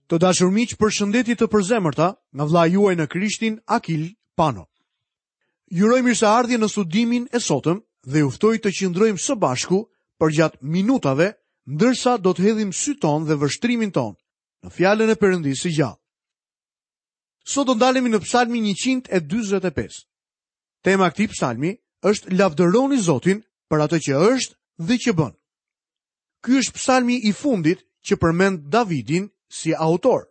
Të dashur miq, përshëndetje të përzemërta nga vëllai juaj në Krishtin Akil Pano. Ju uroj mirëseardhje në studimin e sotëm dhe ju ftoj të qëndrojmë së bashku përgjatë minutave, ndërsa do të hedhim sytë tanë dhe vështrimin tonë në fjalën e Perëndisë së gjallë. Sot do ndalemi në Psalmin 145. Tema e këtij psalmi është lavdëroni Zotin për atë që është dhe që bën. Ky është psalmi i fundit që përmend Davidin si autor.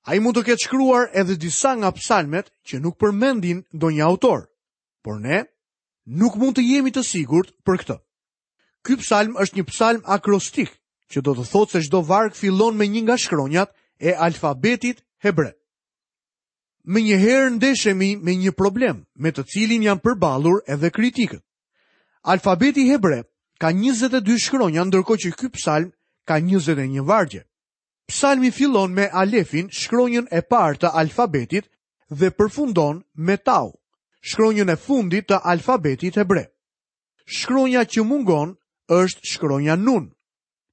Ai mund të ketë shkruar edhe disa nga psalmet që nuk përmendin ndonjë autor, por ne nuk mund të jemi të sigurt për këtë. Ky psalm është një psalm akrostik, që do të thotë se çdo varg fillon me një nga shkronjat e alfabetit hebre. Menjëherë ndeshemi me një problem, me të cilin janë përballur edhe kritikët. Alfabeti hebre ka 22 shkronja, ndërkohë që ky psalm ka 21 vargje. Psalmi fillon me alefin, shkronjën e parë të alfabetit dhe përfundon me tau, shkronjën e fundit të alfabetit hebre. Shkronja që mungon është shkronja nun.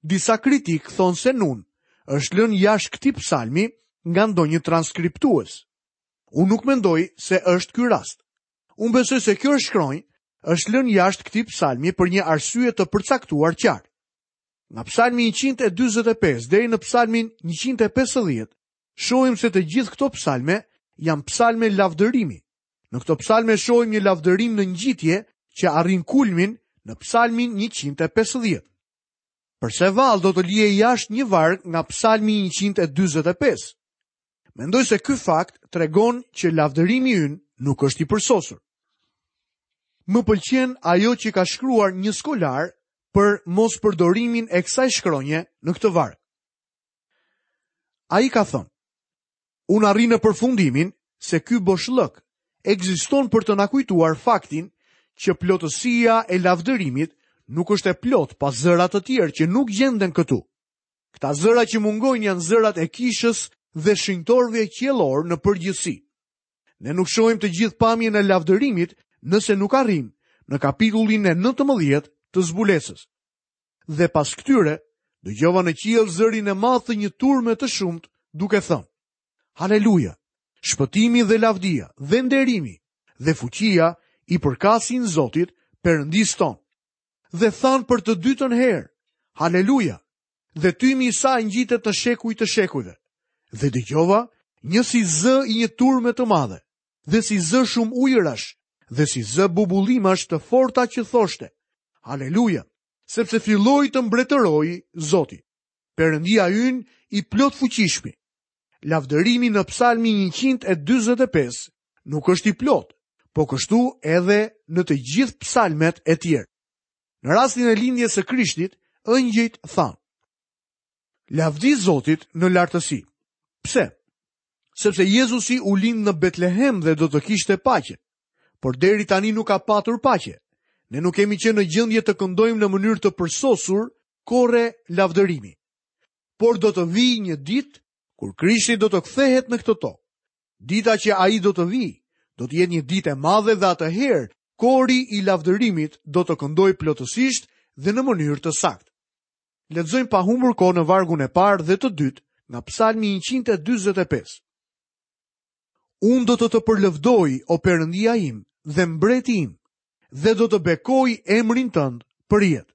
Disa kritikë thonë se nun është lënë jashtë këtij psalmi nga ndonjë transkriptues. Unë nuk mendoj se është ky rast. Unë besoj se kjo shkronjë është lënë jashtë këtij psalmi për një arsye të përcaktuar qartë. Nga psalmi 145 deri në psalmin 150, shohim se të gjithë këto psalme janë psalme lavdërimi. Në këto psalme shohim një lavdërim në ngjitje që arrin kulmin në psalmin 150. Përse vallë do të lihej jashtë një varg nga psalmi 145? Mendoj se ky fakt tregon që lavdërimi ynë nuk është i përsosur. Më pëlqen ajo që ka shkruar një skolar për mospërdorimin e kësaj shkronje në këtë varg. Ai ka thënë, unë arrij në përfundimin se ky boshllëk ekziston për të na kujtuar faktin që plotësia e lavdërimit nuk është e plotë pa zëra të tjerë që nuk gjenden këtu. Këta zëra që mungojnë janë zërat e kishës dhe shenjtorëve qiellorë në përgjithësi. Ne nuk shohim të gjithë pamjen e lavdërimit nëse nuk arrijmë në kapitullin e 19 të zbulesës. Dhe pas këtyre, dëgjova në qiell zërin e madh të një turme të shumtë duke thënë: Haleluja! Shpëtimi dhe lavdia dhe nderimi dhe fuqia i përkasin Zotit, Perëndisë tonë. Dhe thanë për të dytën herë, Haleluja! Dhe tymi i saj ngjitet në shekuj të shekujve. Dhe dëgjova një si zë i një turme të madhe, dhe si zë shumë ujërash, dhe si zë bubullimash të forta që thoshte, Haleluja! Sepse filloi të mbretërojë Zoti, Perëndia ynë i plotfuqishmi. Lavdërimi në Psalmin 145 nuk është i plotë, po kështu edhe në të gjithë psalmet e tjerë. Në rastin e lindjes së Krishtit, ëngjëjt thanë: Lavdi Zotit në lartësi. Pse? Sepse Jezusi u lind në Betlehem dhe do të kishte paqe. Por deri tani nuk ka patur paqe. Ne nuk kemi qenë në gjendje të këndojmë në mënyrë të përsosur kore lavdërimi. Por do të vijë një ditë kur Krishti do të kthehet në këtë tokë. Dita që ai do të vijë, do të jetë një ditë e madhe dhe atëherë kori i lavdërimit do të këndojë plotësisht dhe në mënyrë të saktë. Lexojmë pa humbur kohë në vargun e parë dhe të dytë nga Psalmi 145. Unë do të të përlëvdoj, o Perëndia im dhe mbreti im, dhe do të bekoj emrin tënd përjetë.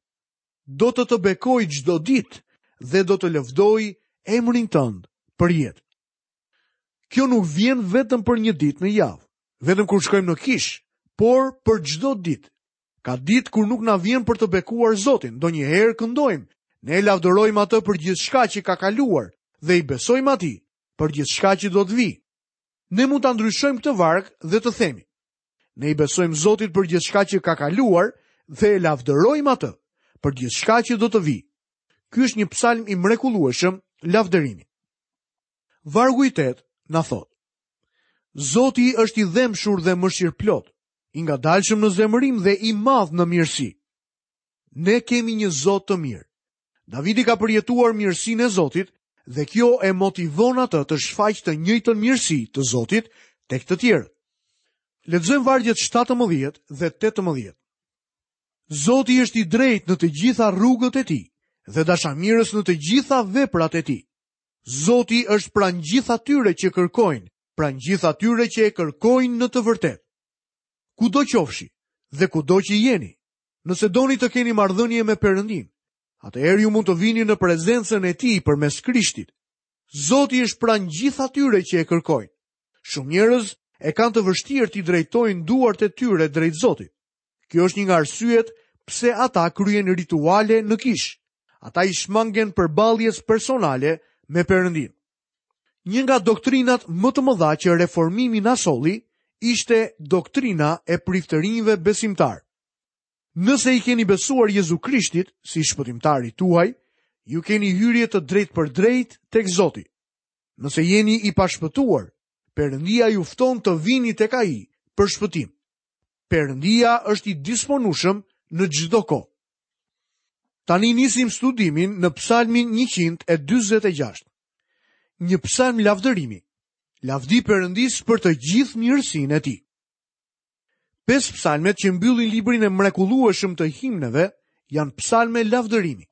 Do të të bekoj çdo ditë dhe do të lëvdoj emrin tënd përjetë. Kjo nuk vjen vetëm për një ditë në javë, vetëm kur shkojmë në kishë, por për çdo ditë. Ka ditë kur nuk na vjen për të bekuar Zotin, ndonjëherë këndojmë. Ne e lavdërojmë atë për gjithçka që ka kaluar dhe i besojmë atij për gjithçka që do të vijë. Ne mund ta ndryshojmë këtë varg dhe të themi: Ne i besojmë Zotit për gjithçka që ka kaluar dhe e lavdërojmë atë për gjithçka që do të vijë. Ky është një psalm i mrekullueshëm lavdërimi. Vargu i 8 na thotë: Zoti është i dhembshur dhe mëshirëplotë, i ngadalshëm në zemërim dhe i madh në mirësi. Ne kemi një Zot të mirë. Davidi ka përjetuar mirësinë e Zotit dhe kjo e motivon atë të shfaqë të njëjtën mirësi të Zotit tek të tjerët. Lexojmë vargjet 17 dhe 18. Zoti është i drejtë në të gjitha rrugët e tij dhe dashamirës në të gjitha veprat e tij. Zoti është pranë gjithë atyre që kërkojnë, pranë gjithë atyre që e kërkojnë në të vërtetë. Kudo qofshi dhe kudo që jeni, nëse doni të keni marrëdhënie me Perëndinë, atëherë ju mund të vini në prezencën e Tij përmes Krishtit. Zoti është pranë gjithë atyre që e kërkojnë. Shumë njerëz e kanë të vështirë t'i drejtojnë duart e tyre drejt Zotit. Kjo është një nga arsyet pse ata kryejnë rituale në kishë. Ata i shmangen përballjes personale me Perëndinë. Një nga doktrinat më të mëdha që reformimi na solli ishte doktrina e priftërinjve besimtarë. Nëse i keni besuar Jezu Krishtit si shpëtimtarit tuaj, ju keni hyrje të drejtpërdrejtë tek Zoti. Nëse jeni i pashpëtuar, Perëndia ju fton të vini tek Ai për shpëtim. Perëndia është i disponueshëm në çdo kohë. Tani nisim studimin në Psalmin 146. Një psalm lavdërimi. Lavdi Perëndisë për të gjithë mirësinë e tij. Pesë psalmet që mbyllin librin e mrekullueshëm të himneve janë psalme lavdërimi.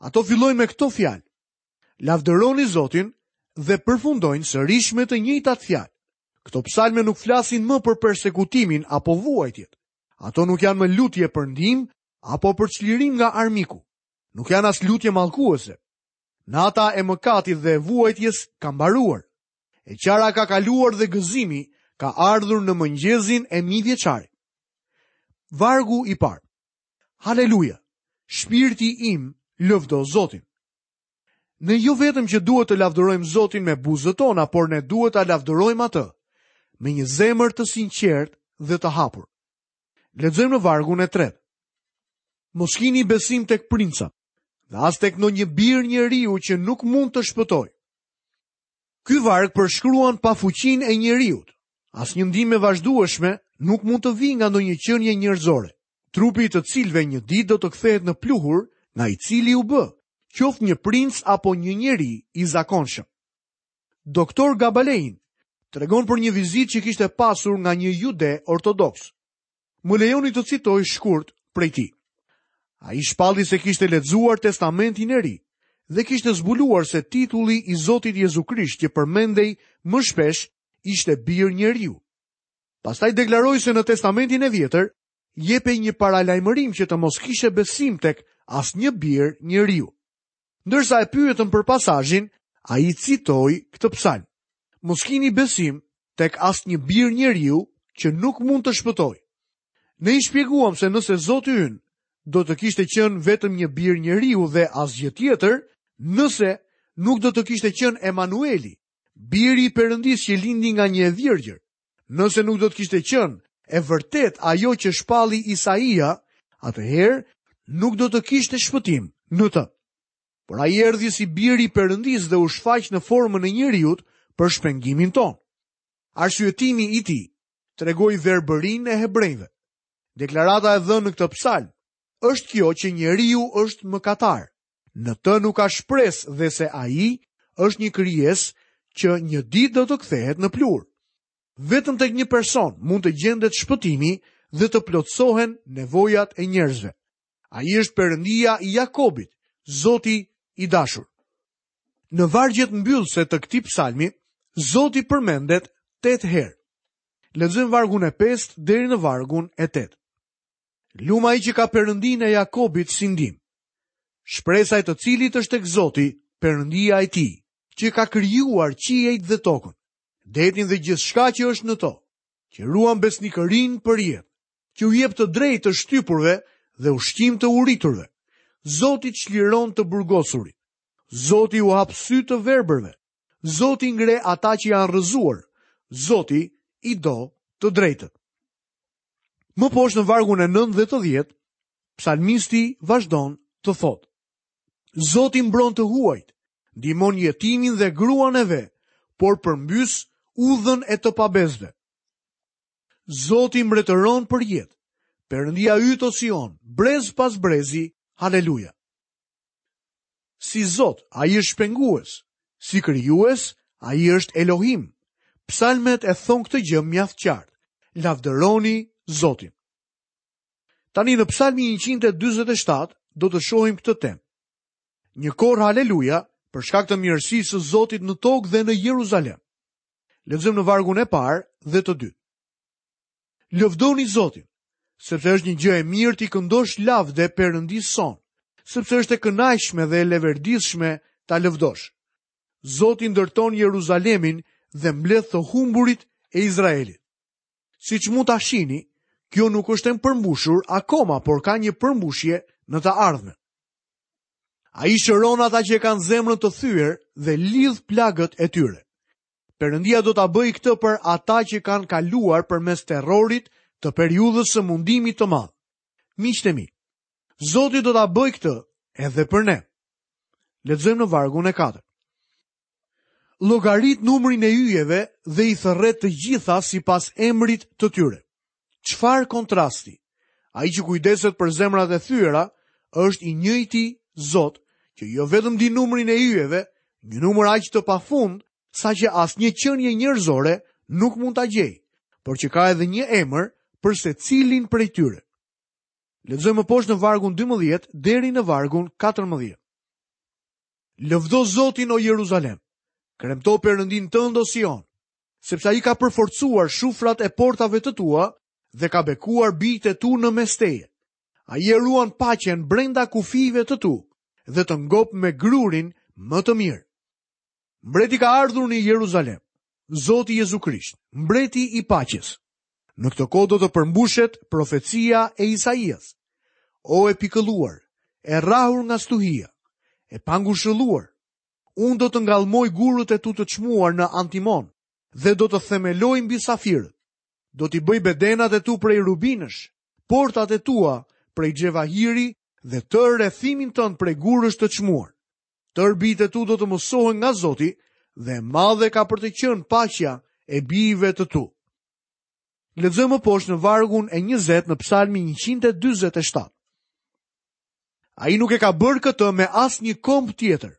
Ato fillojnë me këto fjalë. Lavdëroni Zotin dhe përfundojnë sërish me të njëjtat fjalë. Këto psalme nuk flasin më për persekutimin apo vuajtjet. Ato nuk janë më lutje për ndihmë apo për çlirim nga armiku. Nuk janë as lutje mallkuese. Nata e mëkatit dhe e vuajtjes ka mbaruar. E qara ka kaluar dhe gëzimi ka ardhur në mëngjezin e mijëvjeçarit. Vargu i parë. Haleluja! Shpirti im lëvdo Zotin. Ne jo vetëm që duhet të lavdërojmë Zotin me buzët tona, por ne duhet ta lavdërojmë atë me një zemër të sinqertë dhe të hapur. Lexojmë në vargun e tretë. Mos kini besim tek princat, dhe as tek ndonjë bir njeriu që nuk mund të shpëtojë. Ky varg përshkruan pafuqinë e njeriut. Asnjë ndihmë e vazhdueshme nuk mund të vijë nga ndonjë qenie njerëzore, trupi i të cilëve një ditë do të kthehet në pluhur nga i cili u bë, qoftë një princ apo një njeri i zakonshëm. Doktor Gabalein tregon për një vizitë që kishte pasur nga një jude ortodoks. Më lejoni të citoj shkurt prej tij. Ai shpalli se kishte lexuar Testamentin e Ri dhe kishte zbuluar se titulli i Zotit Jezu Krisht që përmendej më shpesh ishte bir njeriu. Pastaj deklaroi se në Testamentin e Vjetër jepej një paralajmërim që të mos kishe besim tek asnjë bir njeriu. Ndërsa e pyetën për pasazhin, ai citoi këtë psalm. Mos kini besim tek asnjë bir njeriu që nuk mund të shpëtojë. Ne i shpjeguam se nëse Zoti ynë do të kishte qenë vetëm një bir njeriu dhe asgjë tjetër, nëse nuk do të kishte qenë Emanueli, biri i Perëndisë që lindi nga një e virgjër, nëse nuk do të kishte qenë e vërtetë ajo që shpalli Isaia, atëherë nuk do të kishte shpëtim në të. Por ai erdhi si biri i Perëndisë dhe u shfaq në formën e njeriut për shpengimin tonë. Arsyetimi i tij tregoi verbërinë e hebrenjve. Deklarata e dhënë në këtë psalm është kjo që njeriu është mëkatar. Në të nuk ka shpresë dhe se ai është një krijesë që një ditë do të kthehet në pluhur. Vetëm tek një person mund të gjendet shpëtimi dhe të plotësohen nevojat e njerëzve. Ai është Perëndia i Jakobit, Zoti i dashur. Në vargjet mbyllëse të këtij psalmi, Zoti përmendet 8 herë. Lexojmë vargun e 5 deri në vargun e 8. Lum ai që ka Perëndinë e Jakobit si ndihmë. Shpresa e të cilit është tek Zoti, Perëndia e tij, që ka krijuar qiejt dhe tokën, detin dhe gjithçka që është në to, që ruan besnikërinë përjetë. që u jep të drejtë të shtypurve dhe ushqim të uriturve. Zoti çliron të burgosurit. Zoti u hap sytë të verbërve. Zoti ngre ata që janë rrëzuar. Zoti i do të drejtët. Më poshtë në vargun e 9 dhe të 10, psalmisti vazhdon të thotë: Zoti mbron të huajt, ndihmon jetimin dhe gruan e ve, por përmbys udhën e të pabesëve. Zoti mbretëron përjetë. Perëndia yt o Sion, brez pas brezi, haleluja. Si Zot, ai është shpengues. Si krijues, ai është Elohim. Psalmet e thonë këtë gjë mjaft qartë. Lavdëroni Zotin. Tani në Psalmin 147 do të shohim këtë temë. Një kor haleluja për shkak të mirësisë së Zotit në tokë dhe në Jeruzalem. Lexojmë në vargun e parë dhe të dytë. Lëvdoni Zotin, sepse është një gjë e mirë t'i këndosh lavde Perëndisë sonë, sepse është e kënaqshme dhe e leverdisshme ta lëvdosh. Zoti ndërton Jeruzalemin dhe mbledh të humburit e Izraelit. Siç mund ta shihni, kjo nuk është e përmbushur akoma, por ka një përmbushje në të ardhmen. Ai shëron ata që e kanë zemrën të thyer dhe lidh plagët e tyre. Perëndia do ta bëjë këtë për ata që kanë kaluar përmes terrorit të periudhës së mundimit të madh. Miqtë e mi, Zoti do ta bëjë këtë edhe për ne. Lexojmë në vargun e 4. Llogarit numrin e yjeve dhe i thërret të gjitha sipas emrit të tyre. Çfarë kontrasti! Ai që kujdeset për zemrat e thyera është i njëjti Zot, që jo vetëm di numrin e yjeve, një numër aq të pafund, saqë asnjë qenie njerëzore nuk mund ta gjejë, por që ka edhe një emër për secilin prej tyre. Lexojmë më poshtë në vargun 12 deri në vargun 14. Lëvdo Zotin o Jeruzalem, kremto Perëndinë tënd o Sion, sepse ai ka përforcuar shufrat e portave të tua dhe ka bekuar bijtë e tu në mes teje. Ai e ruan paqen brenda kufijve të tu dhe të ngop me grurin më të mirë. Mbreti ka ardhur në Jeruzalem, Zoti Jezu Krisht, mbreti i paqes. Në këtë kohë do të përmbushet profecia e Isaias. O e pikëlluar, e rrahur nga stuhia, e pangushëlluar, unë do të ngallmoj gurët e tu të çmuar në antimon dhe do të themeloj mbi safirët. Do t'i bëj bedenat e tu prej rubinësh, portat e tua prej xhevahiri dhe tërë rrethimin tënd prej gurësh të çmuar. Tërë bijtë e tu do të mësohen nga Zoti dhe e madhe ka për të qenë paqja e bijve të tu. Lexojmë më poshtë në vargun e 20 në Psalmin 147. Ai nuk e ka bërë këtë me asnjë komb tjetër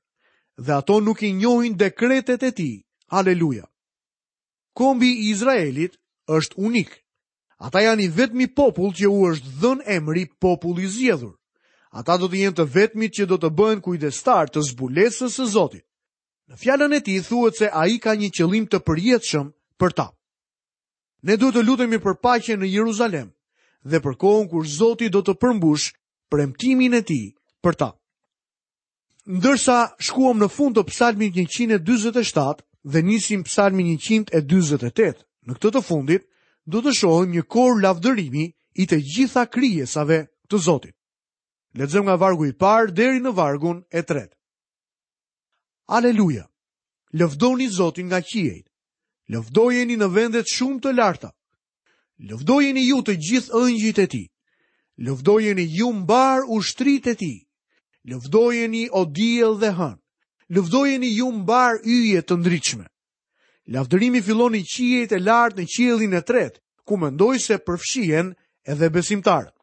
dhe ato nuk i njohin dekretet e tij. Haleluja. Kombi i Izraelit është unik. Ata janë i vetmi popull që u është dhënë emri popull i zgjedhur. Ata do të jenë të vetmit që do të bëhen kujdestarë të zbulesës së Zotit. Në fjalën e tij thuhet se ai ka një qëllim të përjetshëm për ta. Ne duhet të lutemi për paqe në Jeruzalem dhe për kohën kur Zoti do të përmbushë premtimin e tij për ta. Ndërsa shkuam në fund të psalmit 147 dhe nisim psalmin 148, në këtë të fundit do të shohim një kor lavdërimi i të gjitha krijesave të Zotit. Lexojmë nga vargu i parë deri në vargun e tretë. Aleluja! Lëvdoni Zotin nga qiejt. Lëvdojeni në vendet shumë të larta. Lëvdojeni ju të gjithë ëngjëjt e tij. Lëvdojeni ju mbarë ushtritë e tij. Lëvdojeni o diell dhe hënë. Lëvdojeni ju mbarë yje të ndritshme. Lavdërimi fillon në qiejt e lartë në qiellin e tretë, ku mendoj se përfshihen edhe besimtarët.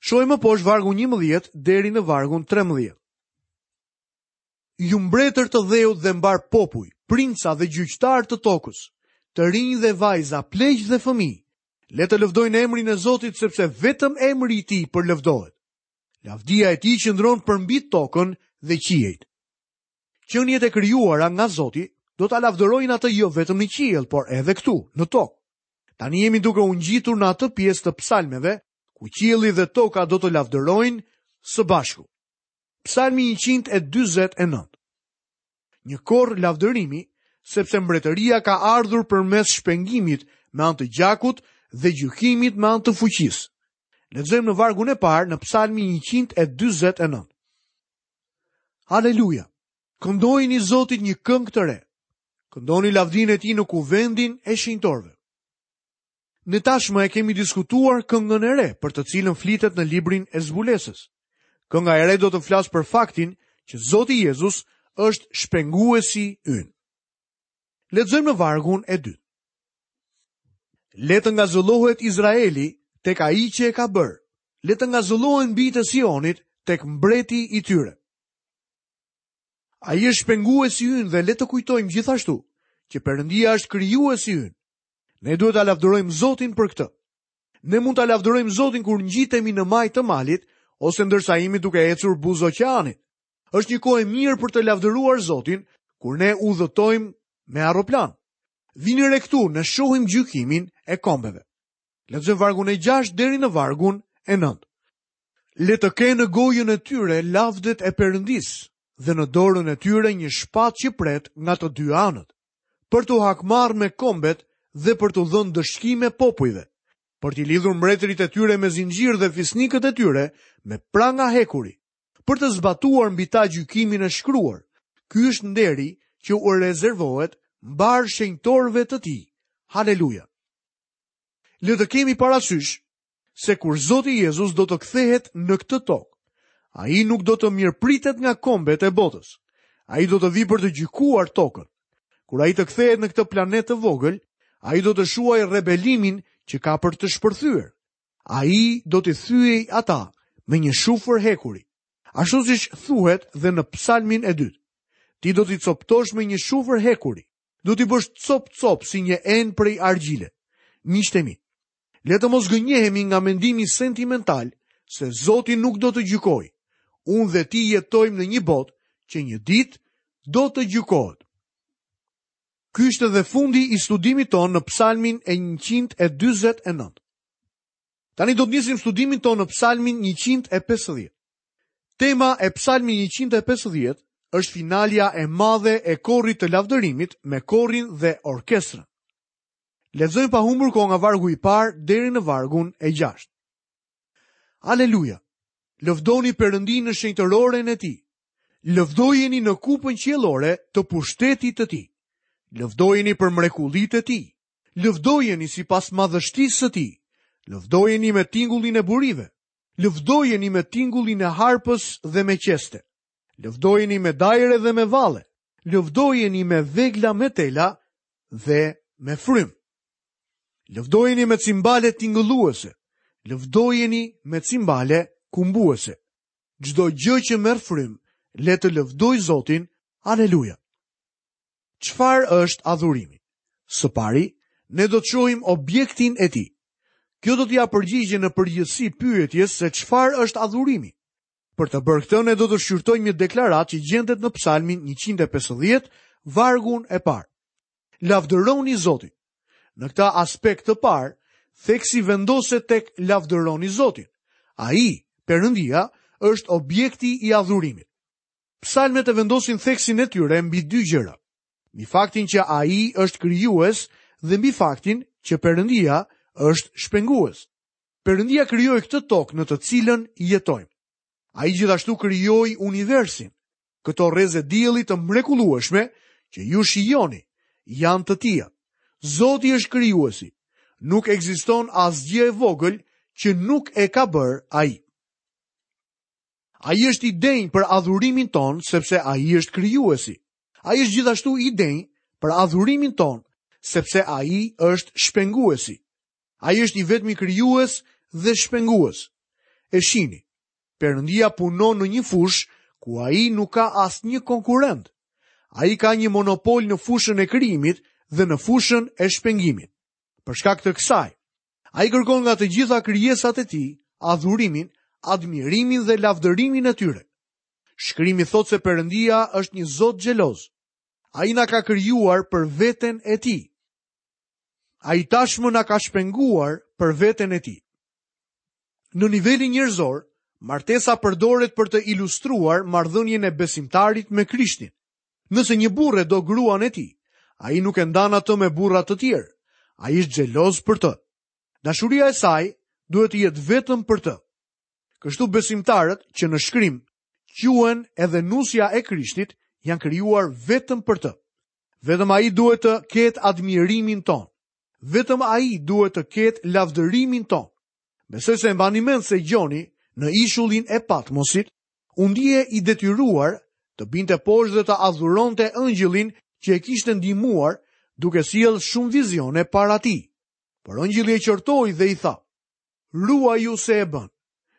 Shohim më poshtë vargun 11 deri në vargun 13. Ju mbretër të dheut dhe mbarë popuj, princa dhe gjyqtarë të tokës, të rinj dhe vajza, pleq dhe fëmijë, le të lëvdojnë emrin e Zotit sepse vetëm emri i tij përlëvdohet. Lavdia e tij qëndron përmbi tokën dhe qiejt. Qeniet e krijuara nga Zoti do ta lavdërojnë atë jo vetëm në qiell, por edhe këtu, në tokë. Tani jemi duke u ngjitur në atë pjesë të psalmeve, ku qielli dhe toka do të lavdërojnë së bashku. Psalmi 149. Një kor lavdërimi, sepse mbretëria ka ardhur përmes shpengimit me anë të gjakut dhe gjykimit me anë të fuqisë. Lexojmë në vargun e parë në Psalmin 149. Haleluja! Këndojini Zotit një këngë të re. Këndoni lavdinë e tij në kuvendin e shenjtorëve. Ne tashmë e kemi diskutuar këngën e re, për të cilën flitet në librin e zbulesës. Kënga e re do të flasë për faktin që Zoti Jezus është shpenguesi ynë. Lexojmë në vargun e dytë. Le të ngazëllohet Izraeli tek ai që e ka bërë. Le të ngazëllohen bijtë e Sionit tek mbreti i tyre. Ai është shpenguesi ynë dhe le të kujtojmë gjithashtu që Perëndia është krijuesi ynë. Ne duhet ta lavdërojmë Zotin për këtë. Ne mund ta lavdërojmë Zotin kur ngjitemi në majë të malit ose ndërsa jemi duke ecur buzë oqeanit. Është një kohë e mirë për të lavdëruar Zotin kur ne udhëtojmë me aeroplan. Vini re këtu, ne shohim gjykimin e kombeve. Lexojmë vargun e 6 deri në vargun e 9. Le të kenë në gojën e tyre lavdet e Perëndisë dhe në dorën e tyre një shpatë që pret nga të dy anët, për t'u hakmarrë me kombet dhe për t'u dhënë ndëshkime popujve, për t'i lidhur mbretërit e tyre me zinxhirë dhe fisnikët e tyre me pranga hekuri, për të zbatuar mbi ta gjykimin e shkruar. Ky është nderi që u rezervohet mbarë shenjtorëve të tij. Haleluja! Le të kemi parasysh se kur Zoti Jezus do të kthehet në këtë tokë, ai nuk do të mirëpritet nga kombet e botës. Ai do të vijë për të gjykuar tokën. Kur ai të kthehet në këtë planet të vogël, ai do të shuajë rebelimin që ka për të shpërthyer. Ai do t'i thyejë ata me një shufër hekuri. Ashtu siç thuhet dhe në psalmin e dytë. Ti do t'i copëtosh me një shufër hekuri. Do t'i bësh copë-copë si një enë prej argjile. Miqtë e mi, le të mos gënjehemi nga mendimi sentimental se Zoti nuk do të gjykojë. Unë dhe ti jetojmë në një botë që një ditë do të gjykohet. Ky ishte dhe fundi i studimit tonë në psalmin e 149. Tani do të nisim studimin tonë në psalmin 150. Tema e psalmit 150 është finalja e madhe e korit të lavdërimit me korin dhe orkestrën. Lexojmë pa humbur kohë nga vargu i parë deri në vargun e gjashtë. Aleluja! Lëvdoni Perëndinë në shenjtëroren e tij. Lëvdojeni në kupën qiellore të pushtetit të tij. Lëvdojeni për mrekullitë e tij. Lëvdojeni sipas madhështisë së tij. Lëvdojeni me tingullin e burive. Lëvdojeni me tingullin e harpës dhe me qeste. Lëvdojeni me dajre dhe me valle. Lëvdojeni me vegla me tela dhe me frymë. Lëvdojeni me cimbale tingëlluese. Lëvdojeni me cimbale kumbuese. Çdo gjë që merr frymë, le të lëvdojë Zotin. Aleluja. Çfarë është adhurimi? Së pari, ne do të shohim objektin e tij. Kjo do t'i japë përgjigje në përgjithësi pyetjes se çfarë është adhurimi. Për të bërë këtë, ne do të shqyrtojmë një deklaratë që gjendet në Psalmin 150, vargun e parë. Lavdëroni Zotin. Në këtë aspekt të parë, theksi vendoset tek lavdëroni Zotin. Ai, Perëndia, është objekti i adhurimit. Psalmet e vendosin theksin e tyre mbi dy gjëra. Mbi faktin që ai është krijues dhe mbi faktin që Perëndia është shpengues. Perëndia krijoi këtë tokë në të cilën jetojmë. Ai gjithashtu krijoi universin. Këto rreze dielli të mrekullueshme që ju shijoni janë të tija. Zoti është krijuesi. Nuk ekziston asgjë e vogël që nuk e ka bërë ai. Ai është i denjë për adhurimin tonë sepse ai është krijuesi. Ai është gjithashtu i denjë për adhurimin tonë sepse ai është shpenguesi. Ai është i vetmi krijues dhe shpengues. E shihni, Perëndia punon në një fushë ku ai nuk ka asnjë konkurrent. Ai ka një monopol në fushën e krijimit dhe në fushën e shpengimit. Për shkak të kësaj, ai kërkon nga të gjitha krijesat e tij adhurimin, admirimin dhe lavdërimin e tyre. Shkrimi thotë se Perëndia është një Zot xheloz. Ai na ka krijuar për veten e tij. Ai tashmë na ka shpenguar për veten e tij. Në nivelin njerëzor, martesa përdoret për të ilustruar marrëdhënien e besimtarit me Krishtin. Nëse një burrë e do gruan e tij, ai nuk e ndan atë me burra të tjerë. Ai është xheloz për të. Dashuria e saj duhet të jetë vetëm për të. Kështu besimtarët që në shkrim quhen edhe nusja e Krishtit janë krijuar vetëm për të. Vetëm ai duhet të ketë admirimin tonë. Vetëm ai duhet të ketë lavdërimin tonë. Besoj se e mbani mend se Gjoni në ishullin e Patmosit u ndie i detyruar të binte poshtë dhe të adhuronte engjëllin që e kishte ndihmuar duke sjellë shumë vizione para tij. Por engjëlli e qortoi dhe i tha: Ruaju se e bën,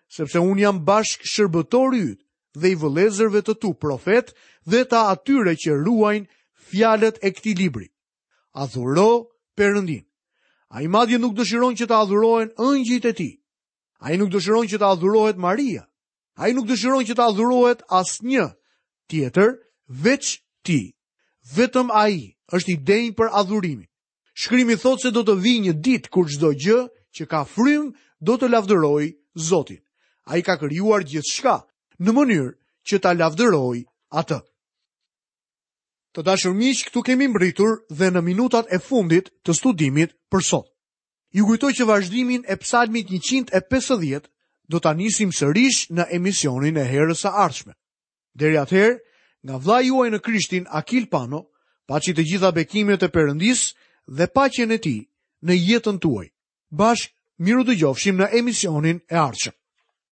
sepse unë jam bashkëshërbëtori yt dhe i vëllezërve të tu profetë dhe të atyre që ruajnë fjalët e këtij libri. Adhuro Perëndinë. Ai madje nuk dëshiron që të adhurohen engjëjt e tij. Ai nuk dëshiron që të adhurohet Maria. Ai nuk dëshiron që të adhurohet asnjë. tjetër veç tij. Vetëm ai është i denjë për adhurimin. Shkrimi thotë se do të vijë një ditë kur çdo gjë që ka frymë do të lavdërojë Zotin. Ai ka krijuar gjithçka në mënyrë që ta lavdërojë atë. Të dashur miq, këtu kemi mbërritur dhe në minutat e fundit të studimit për sot. Ju kujtoj që vazhdimin e Psalmit 150 do ta nisim sërish në emisionin e herës së ardhshme. Deri atëherë, nga vëllai juaj në Krishtin Akil Pano, paçi të gjitha bekimet e Perëndisë dhe paqen e tij në jetën tuaj. Bashkë mirudëgjofshim në emisionin e ardhshëm.